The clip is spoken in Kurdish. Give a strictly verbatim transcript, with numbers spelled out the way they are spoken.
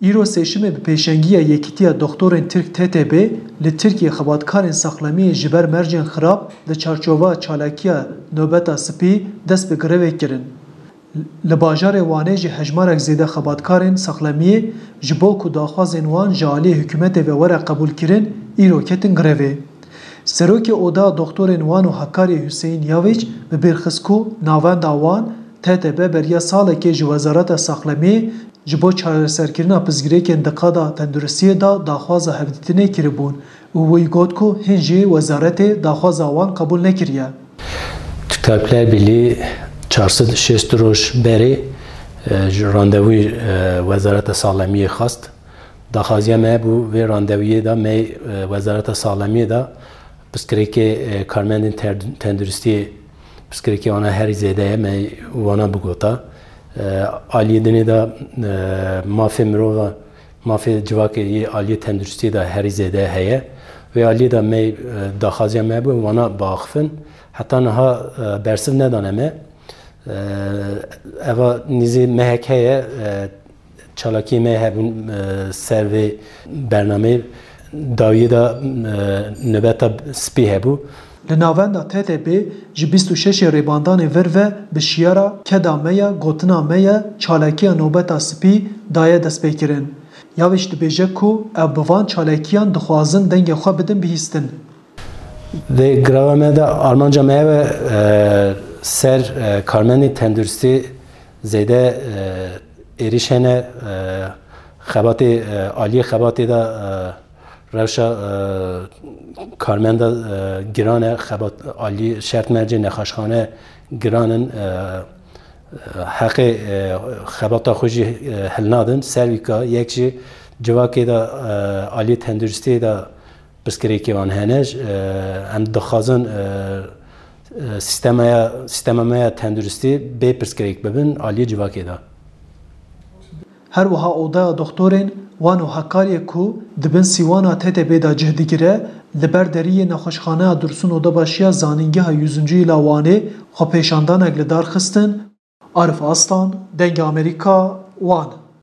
Îro sêşemê bi pêşengiya Yekîtiya Doktorên Tirk T T B li Tirkiyê xebatkarên saxlemiyê ji ber mercên xirab di çarçoveya çalakiya Nobeta Spî dest bi grevê kirin. Li bajarê Wanê jî hejmarek zêde xebatkarên saxlemiyê ji bo ku daxwazên wan ji aliyê hikûmetê ve were qebûlkirin, îro ketin grevê. Serokê Oda Doktorên Wan û Hakariyê Huseyîn Yaviç bi bîr xist ku navenda wan T T B beriya salekê ji Wezareta Saxlemiyê ji bo çareserkirina pirsgirêkên di qada tenduristiyê de daxwaza hevdîtinê kiribûn û wî got ku hîn jî wezaretê daxwaza wan qebûl nekiriye. Türk Tabipler Birliği çar sed şêst roj berê e, ji randevûyê e, Wezareta Saxlemiyê xwest. Daxwaziya me bû vê randevûyê de me e, Wezareta Saxlemiyê de pirsgirêkê e, karmendên ter- tenduristiyê pirsgirêkê wana herî zêde ye, me wana bigota. E, Aliyê dinê de e, mafê mirova, mafê civakê yê aliyê tenduristiyê de herî zêde heye. Vê aliyê de me e, daxwaziya me bû wana biaxifin. Heta niha e, bersiv nedane me. E, Eva nîzî mehek heye e, çalakiyê me hebûn e, ser vê bernameyê. Dawiyê de e, nobeta spî hebû. Li navenda T T B ji bîst û şeşê Rêbandanê vir ve bi şiyara Keda me ye, gotina me ye, çalakiya Nobeta Spî daye destpêkirin. Yaviç dibêje ku ew bi van çalakiyan dixwazin dengê xwe bidin bihîstin. Vê greva me de armanca me ev e, e, ser e, karmendên tenduristî zêde e, êrîş hene, e, xebatê, e, aliyê xebatê de e, rewşa e, karmenda e, giran e, xebat alî şert mercê nexweşxane giran in, e, e, heqê e, xebata xwe jî e, hilnadin. Ser wî ka yek jî civakê de e, aliyê tenduristiyê de pirsgirêkê wan hene. J- e, Em dixwazin e, e, sîstemaya, sîstema me ya tenduristî bê pirsgirêk bibin aliyê civakê de. Her wiha Odaya Doxtorên Wan û Hakariyê ku di bin sîwana T T B de cih digire, li ber deriyê Nexweşxaneya Dursun Odebaşiya Zanîngeha Yüzüncü Yıla Wanê xwepêşandanek li dar xistin. Arif Aslan, Dengê Amerîka, Wan.